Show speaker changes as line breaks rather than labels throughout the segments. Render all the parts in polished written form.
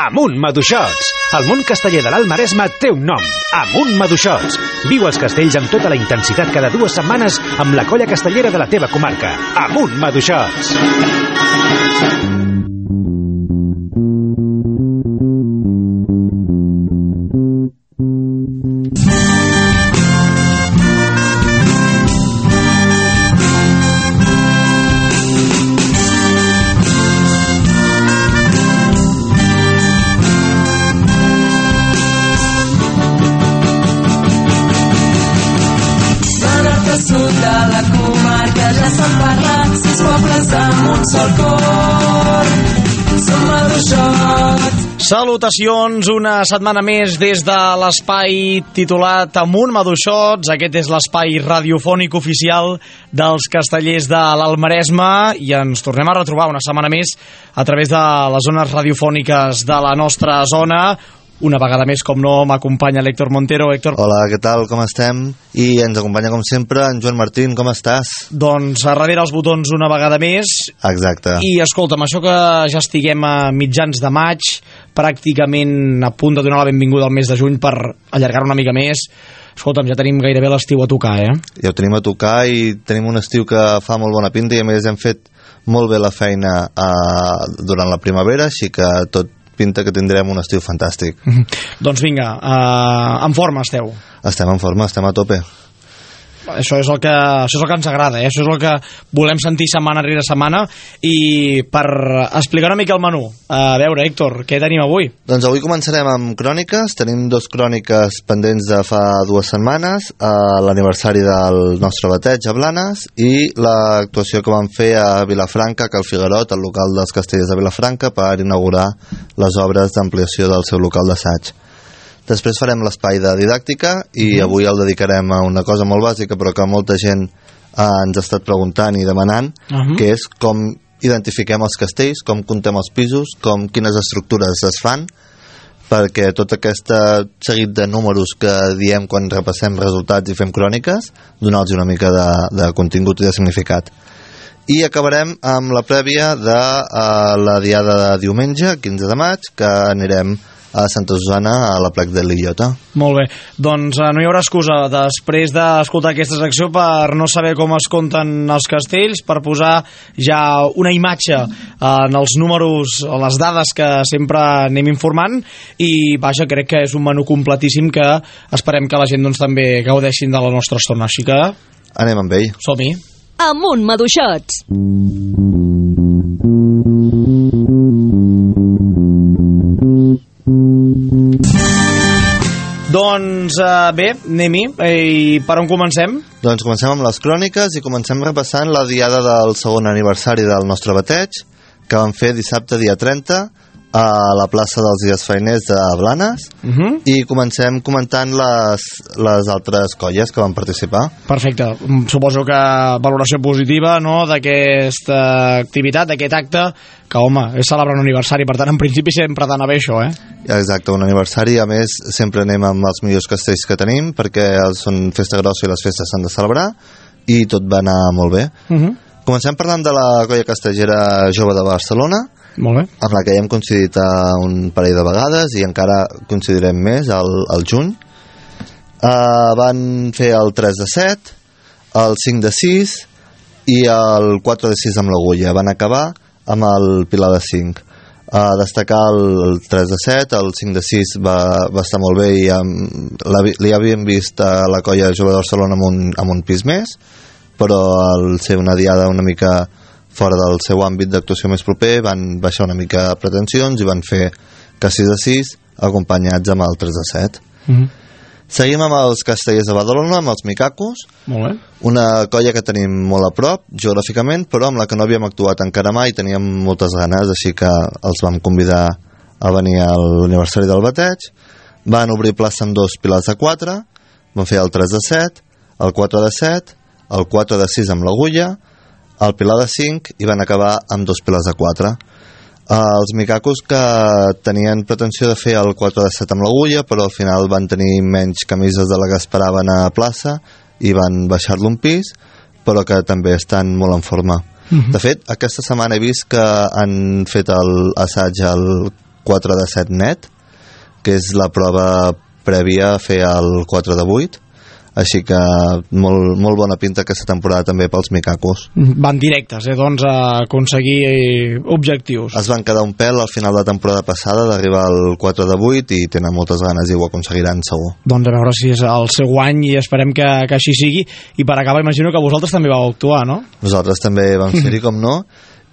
Amunt Maduixots! El món casteller de l'Alt Maresme té un nom. Amunt Maduixots! Viu els castells amb tota la intensitat cada 2 setmanes amb la colla castellera de la teva comarca. Amunt Maduixots!
Salutacions, una setmana més des de l'espai titulat Amunt Maduixots. Aquest és l'espai radiofònic oficial dels castellers de l'Alt Maresme i ens tornem a retrobar una setmana més a través de les zones radiofòniques de la nostra zona. Una vegada més, com no, m'acompanya l'Héctor Montero. Héctor.
Hola, què tal, com estem? I ens acompanya, com sempre, en Joan Martín, com estàs?
Doncs a darrere els botons una vegada més.
Exacte.
I escolta'm, això que ja estiguem a mitjans de maig, pràcticament a punt de donar la benvinguda al mes de juny per allargar una mica més. Escolta'm, ja tenim gairebé l'estiu a tocar, eh?
Ja ho tenim a tocar i tenim un estiu que fa molt bona pinta i a més hem fet molt bé la feina durant la primavera, així que tot pinta que tindrem un estiu fantàstic.
Doncs vinga, en forma esteu?
Estem en forma, estem a tope.
Això és el que ens agrada, això és el que volem sentir setmana rere setmana. I per explicar una mica el menú, a veure, Héctor, què tenim avui?
Doncs avui començarem amb cròniques. Tenim 2 cròniques pendents de fa 2 setmanes, l'aniversari del nostre bateig a Blanes i l'actuació que vam fer a Vilafranca, que al Figuerot, al local dels Castellers de Vilafranca, per inaugurar les obres d'ampliació del seu local d'assaig. Després farem l'espai de didàctica i avui el dedicarem a una cosa molt bàsica però que molta gent ens ha estat preguntant i demanant, que és com identifiquem els castells, com comptem els pisos, quines estructures es fan, perquè tot aquest seguit de números que diem quan repassem resultats i fem cròniques, donar-los una mica de contingut i de significat. I acabarem amb la prèvia de la diada de diumenge, 15 de maig, que anirem a Santa Susana, a la plec de l'Illota.
Molt bé, doncs no hi haurà excusa després d'escoltar aquesta secció per no saber com es compten els castells, per posar ja una imatge en els números, les dades que sempre anem informant i vaja, crec que és un menú completíssim que esperem que la gent doncs, també gaudeixin de la nostra estona, així que
anem amb ell.
Som-hi.
Amunt Maduixots.
Doncs bé, anem-hi. I per on comencem?
Doncs comencem amb les cròniques i comencem repassant la diada del segon aniversari del nostre bateig, que vam fer dissabte dia 30 a la plaça dels Dies Fainers de Blanes i comencem comentant les altres colles que van participar.
Perfecte, suposo que valoració positiva, no?, d'aquesta activitat, d'aquest acte, que home, és celebrar un aniversari, per tant en principi sempre ha d'anar bé això, eh?
Exacte, un aniversari, a més sempre anem amb els millors castells que tenim perquè són festa grossa i les festes s'han de celebrar i tot va anar molt bé. Comencem parlant de la colla castellera jove de Barcelona,
molt bé,
amb la que ja hem coincidit un parell de vegades i encara coincidirem més al juny. Van fer el 3 de 7, el 5 de 6 i el 4 de 6 amb l'Agulla. Van acabar amb el Pilar de 5. Destacar el 3 de 7, el 5 de 6 va estar molt bé i li havíem vist a la colla jove de Barcelona amb un pis més, però al ser una diada una mica fora del seu àmbit d'actuació més proper van baixar una mica pretensions i van fer que 6 de 6 acompanyats amb el 3 de 7. Seguim amb els castellers de Badalona, amb els Micacos.
Molt bé.
Una colla que tenim molt a prop geogràficament, però amb la que no havíem actuat encara mai, teníem moltes ganes, així que els vam convidar a venir a l'aniversari del bateig. Van obrir plaça amb 2 pilars de 4, van fer el 3 de 7, el 4 de 7, el 4 de 6 amb l'Agulla, el Pilar de 5 i van acabar amb 2 pilars de 4. Els Micacos que tenien pretensió de fer el 4 de 7 amb l'Agulla, però al final van tenir menys camises de la que esperaven a plaça i van baixar-lo un pis, però que també estan molt en forma. De fet, aquesta setmana he vist que han fet l'assaig al 4 de 7 net, que és la prova prèvia a fer el 4 de 8, així que molt bona pinta aquesta temporada també pels micacos.
Van directes, doncs, a aconseguir objectius.
Es van quedar un pèl al final de temporada passada d'arribar al 4 de 8 i tenen moltes ganes i ho aconseguiran segur.
Doncs a veure si és el seu any i esperem que així sigui. I per acabar, imagino que vosaltres també vau actuar, no?
Nosaltres també vam ser-hi, com no,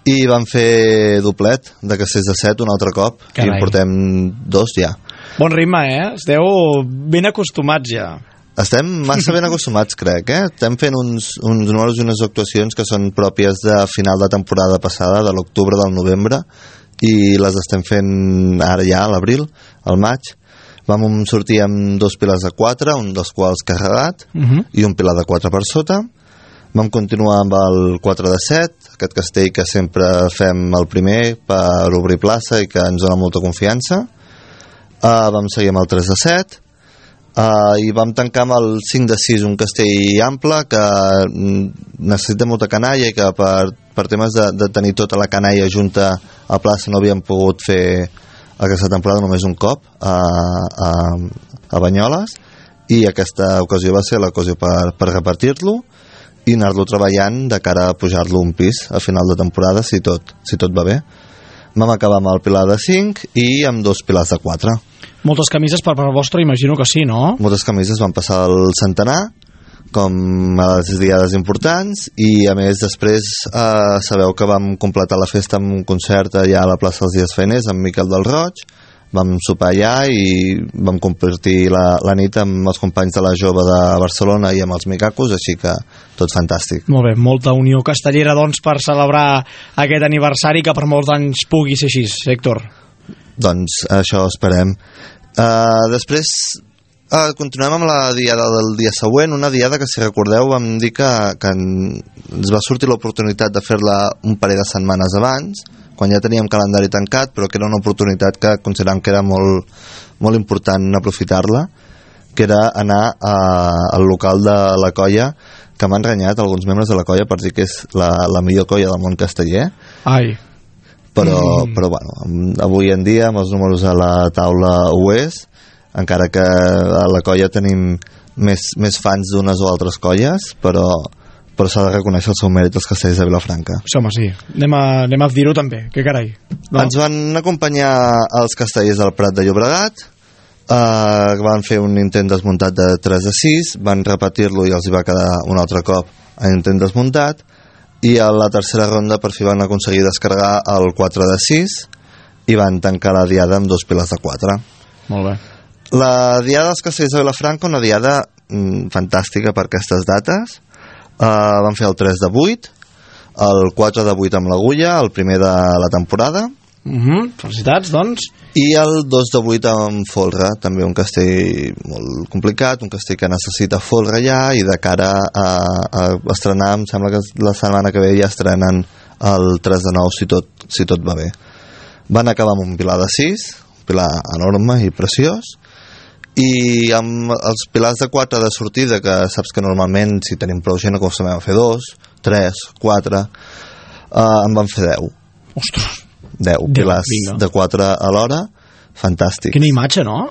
i vam fer doblet de Castells de 7 un altre cop. Carai. I en portem 2 ja.
Bon ritme, Esteu ben acostumats ja.
Estem massa ben acostumats, crec, Estem fent uns números i unes actuacions que són pròpies de final de temporada passada, de l'octubre, del novembre, i les estem fent ara ja, a l'abril, al maig. Vam sortir amb 2 pilars de 4, un dels quals carregat, i un pilar de 4 per sota. Vam continuar amb el 4 de 7, aquest castell que sempre fem el primer per obrir plaça i que ens dona molta confiança. Vam seguir amb el 3 de 7, i vam tancar amb el 5 de 6, un castell ample que necessita molta canalla i que per temes de tenir tota la canalla junta a plaça no havíem pogut fer aquesta temporada només un cop a Banyoles, i aquesta ocasió va ser l'ocasió per repartir-lo i anar-lo treballant de cara a pujar-lo un pis a final de temporada si tot va bé. Vam acabar amb el pilar de 5 i amb 2 pilars de 4.
Moltes camises per part vostra, imagino que sí, no?
Moltes camises van passar al centenar, com a les diades importants, i a més després sabeu que vam completar la festa amb un concert allà a la plaça dels Dies Feiners amb Miquel del Roig. Vam sopar allà i vam compartir la nit amb els companys de la Jove de Barcelona i amb els micacos, així que tot fantàstic.
Molt bé, molta unió castellera doncs per celebrar aquest aniversari que per molts anys pugui ser així, Héctor.
Doncs això esperem. Després continuem amb la diada del dia següent, una diada que, si recordeu, vam dir que ens va sortir l'oportunitat de fer-la un parell de setmanes abans, quan ja teníem calendari tancat, però que era una oportunitat que consideràvem que era molt important aprofitar-la, que era anar al local de la colla, que m'han renyat alguns membres de la colla per dir que és la millor colla del món casteller.
Ai.
Però bueno, avui en dia amb els números a la taula ho és, encara que a la colla tenim més fans d'unes o altres colles, però s'ha de reconèixer el seu mèrit als castells de Vilafranca.
Sí, home, sí. Anem a dir-ho també, que carai. No?
Ens van acompanyar els castellers del Prat de Llobregat, van fer un intent desmuntat de 3 de 6, van repetir-lo i els hi va quedar un altre cop a intent desmuntat, i a la tercera ronda per fi van aconseguir descarregar el 4 de 6 i van tancar la diada amb 2 pilars de 4.
Molt bé.
La diada dels castells de Vilafranca, una diada fantàstica per aquestes dates. Van fer el 3 de 8, el 4 de 8 amb l'agulla, el primer de la temporada.
Felicitats, doncs.
I el 2 de 8 amb folre, també un castell molt complicat, un castell que necessita folre ja, i de cara a estrenar, em sembla que la setmana que ve ja estrenen el 3 de 9 si tot va bé. Van acabar amb un pilar de 6, un pilar enorme i preciós, i amb els pilars de 4 de sortida, que saps que normalment si tenim prou gent acostumem a fer 2, 3, 4, en van fer 10.
Ostres!
10 pilars de 4 a l'hora, fantàstic.
Quina imatge, no?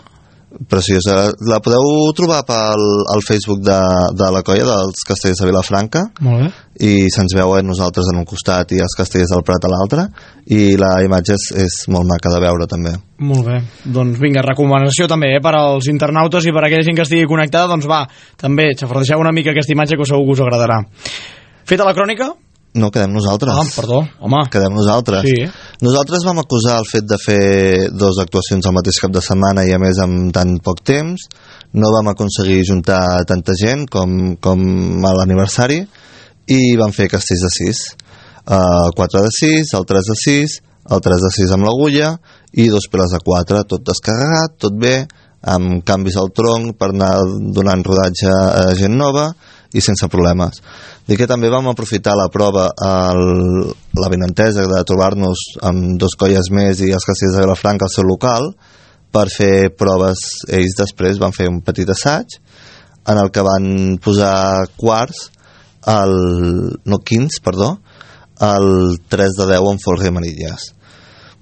Preciosa. La podeu trobar al Facebook de la colla dels castellers de Vilafranca.
Molt bé.
I se'ns veu nosaltres en un costat i els castellers del Prat a l'altre, i la imatge és molt maca de veure també.
Molt bé, doncs vinga, recomanació també per als internautes i per a aquella gent que estigui connectada, doncs va, també xafardeixeu una mica aquesta imatge que segur que us agradarà. Feta la crònica?
No, quedem nosaltres.
Perdó, home.
Quedem nosaltres.
Sí.
Nosaltres vam acusar el fet de fer 2 actuacions al mateix cap de setmana i a més amb tan poc temps. No vam aconseguir juntar tanta gent com a l'aniversari i vam fer castells de 6. 4 de 6, el 3 de 6, el 3 de 6 amb l'agulla i 2 pilars de 4, tot descarregat, tot bé, amb canvis al tronc per anar donant rodatge a gent nova i sense problemes. Dic que també vam aprofitar la prova, la benentesa de trobar-nos amb 2 colles més i els castellers de Vilafranca al seu local per fer proves. Ells després van fer un petit assaig en el que van posar quarts quins, el 3 de 10 amb folre i manilles.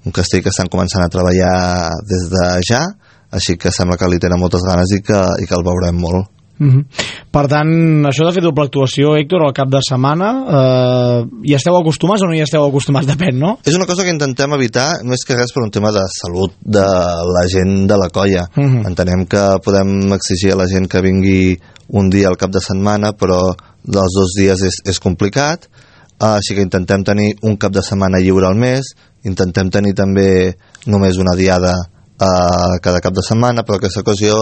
un castell que estan començant a treballar des de ja, així que sembla que li tenen moltes ganes i que el veurem molt.
Per tant, això de fer doble actuació, Héctor, al cap de setmana, hi esteu acostumats o no hi esteu acostumats? Depèn, no?
És una cosa que intentem evitar, més que res per un tema de salut de la gent de la colla. Entenem que podem exigir a la gent que vingui un dia al cap de setmana, però dels 2 dies és complicat, així que intentem tenir un cap de setmana lliure al mes, intentem tenir també només una diada cada cap de setmana, però aquesta ocasió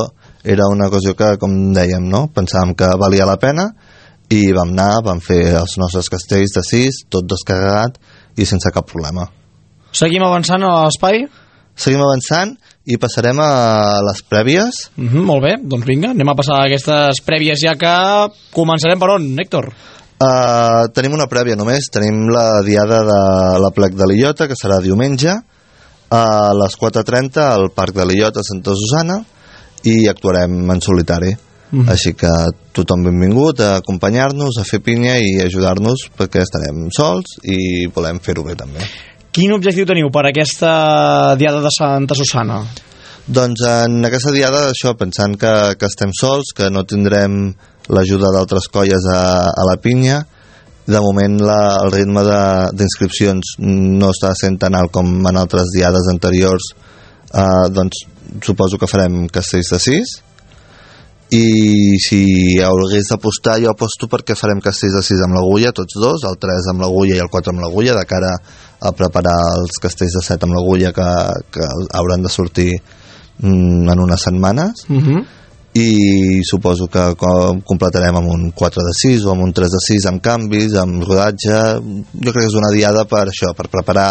era una ocasió que, com dèiem, no? Pensàvem que valia la pena i vam anar, vam fer els nostres castells de 6, tot descarregat i sense cap problema.
Seguim avançant a l'espai?
Seguim avançant i passarem a les prèvies.
Molt bé, doncs vinga, anem a passar a aquestes prèvies, ja que començarem per on, Héctor?
Tenim una prèvia només, tenim la diada de l'Aplec de l'Illota, que serà diumenge, a les 4:30 al Parc de l'Illota a Santa Susana, i actuarem en solitari. Així que tothom benvingut a acompanyar-nos, a fer pinya i ajudar-nos, perquè estarem sols i volem fer-ho bé també.
Quin objectiu teniu per aquesta diada de Santa Susana?
Doncs en aquesta diada, això, pensant que estem sols, que no tindrem l'ajuda d'altres colles a la pinya, de moment el ritme d'inscripcions no està sent tan alt com en altres diades anteriors, doncs suposo que farem castells de 6, i si hagués d'apostar, jo aposto perquè farem castells de 6 amb l'agulla, tots dos, el 3 amb l'agulla i el 4 amb l'agulla, de cara a preparar els castells de 7 amb l'agulla que hauran de sortir en unes setmanes. I suposo que completarem amb un 4 de 6 o amb un 3 de 6 amb canvis, amb rodatge. Jo crec que és una diada per això, per preparar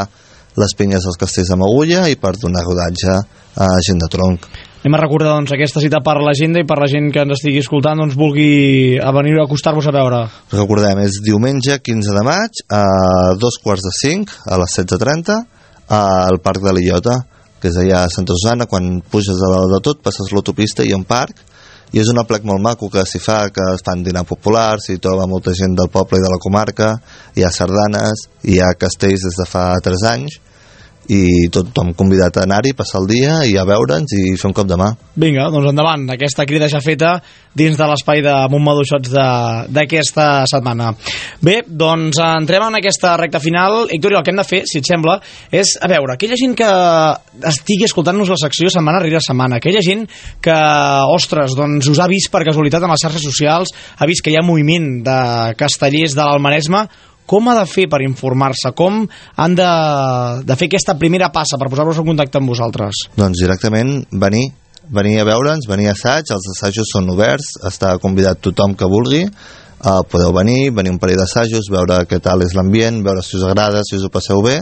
les pinyes dels castells amb agulla i per donar rodatge a gent de tronc.
Anem a recordar doncs aquesta cita per l'agenda i per la gent que ens estigui escoltant doncs vulgui venir a acostar-vos a veure.
Recordem, és diumenge 15 de maig a 4:45 a les 16:30 al Parc de l'Illota, que és allà a Santa Susana. Quan puges de dalt de tot passes l'autopista i hi ha un parc, i és un aplec molt maco que s'hi fa, que es fan dinar populars, s'hi troba molta gent del poble i de la comarca, hi ha sardanes, hi ha castells des de fa 3 anys, i tothom convidat a anar-hi, passar el dia i a veure'ns i fer un cop de mà.
Vinga, doncs endavant, aquesta crida ja feta dins de l'espai de Montmaduixots d'aquesta setmana. Bé, doncs entrem en aquesta recta final. Héctor, el que hem de fer, si et sembla, és, a veure, aquella gent que estigui escoltant-nos la secció setmana rere setmana, aquella gent que, ostres, doncs us ha vist per casualitat en les xarxes socials, ha vist que hi ha moviment de castellers de l'Almaresme, com ha de fer per informar-se? Com han de fer aquesta primera passa per posar-vos en contacte amb vosaltres?
Doncs directament venir a veure'ns, venir a assaig. Els assajos són oberts, està convidat tothom que vulgui. Podeu venir un parell d'assajos, veure què tal és l'ambient, veure si us agrada, si us ho passeu bé.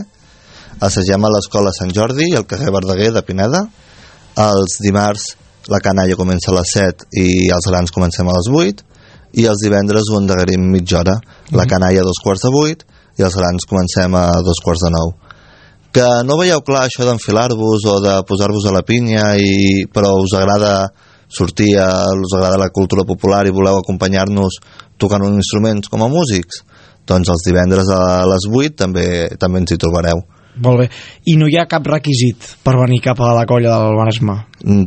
Assagem a l'Escola Sant Jordi, al carrer Verdaguer de Pineda. Els dimarts la canalla comença a les 7 i els grans comencem a les 8. I els divendres ho endarrerim mitja hora. La canalla a 7:45 i els grans comencem a 8:45. Que no veieu clar això d'enfilar-vos o de posar-vos a la pinya, però us agrada sortir, us agrada la cultura popular i voleu acompanyar-nos tocant uns instruments com a músics, doncs els divendres a les 8 també ens hi trobareu.
Molt bé. I no hi ha cap requisit per venir cap a la colla del Maresme?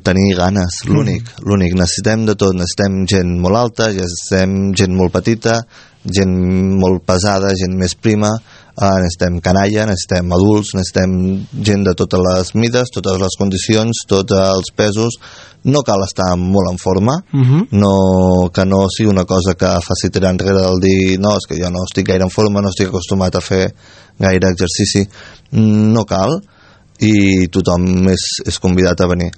Tenir ganes, l'únic. Necessitem de tot. Necessitem gent molt alta, necessitem gent molt petita, gent molt pesada, gent més prima, necessitem canalla, necessitem adults, necessitem gent de totes les mides, totes les condicions, tots els pesos. No cal estar molt en forma, que no sigui una cosa que faci tirar enrere del dir no, és que jo no estic gaire en forma, no estic acostumat a fer gaire exercici. No cal, i tothom és convidat a venir.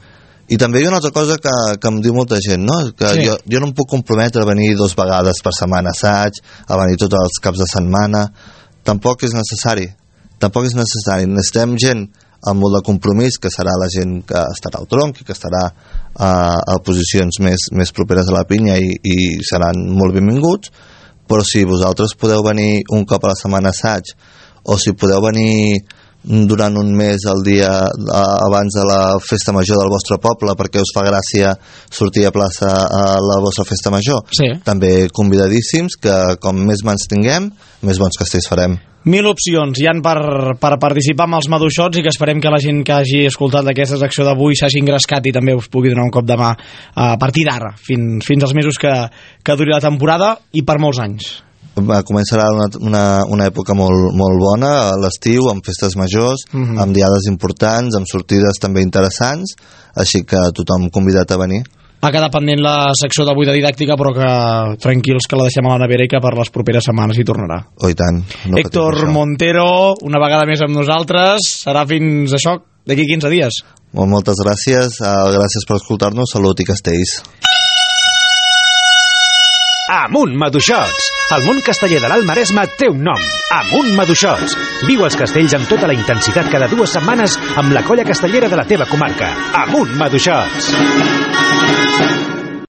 I també hi ha una altra cosa que em diu molta gent, no? Que sí. Jo no em puc comprometre a venir 2 vegades per setmana a assaig, a venir tots els caps de setmana. Tampoc és necessari. Necessitem gent amb molt de compromís, que serà la gent que estarà al tronc i que estarà a posicions més properes a la pinya i seran molt benvinguts. Però si vosaltres podeu venir un cop a la setmana a assaig, o si podeu venir durant un mes al dia abans de la festa major del vostre poble perquè us fa gràcia sortir a plaça a la vostra festa major,
sí.
També convidadíssims, que com més mans tinguem, més bons castells farem.
1000 opcions hi han per participar amb els Maduixots, i que esperem que la gent que hagi escoltat aquesta secció d'avui s'hagi engrescat i també us pugui donar un cop de mà a partir d'ara, fins als mesos que duri la temporada i per molts anys.
Començarà una època molt bona a l'estiu, amb festes majors, amb diades importants, amb sortides també interessants, així que tothom convidat a venir.
Ha quedat pendent la secció d'avui de didàctica, però que tranquils que la deixem a la nevera i que per les properes setmanes hi tornarà.
Oh, i tant. No
Héctor Montero, una vegada més amb nosaltres. Serà fins això, d'aquí 15 dies.
Moltes gràcies, gràcies per escoltar-nos, salut i castells.
Amunt Maduixots! El món casteller de l'Alt Maresme té un nom. Amunt Maduixots! Viu els castells amb tota la intensitat cada 2 setmanes amb la colla castellera de la teva comarca. Amunt Maduixots!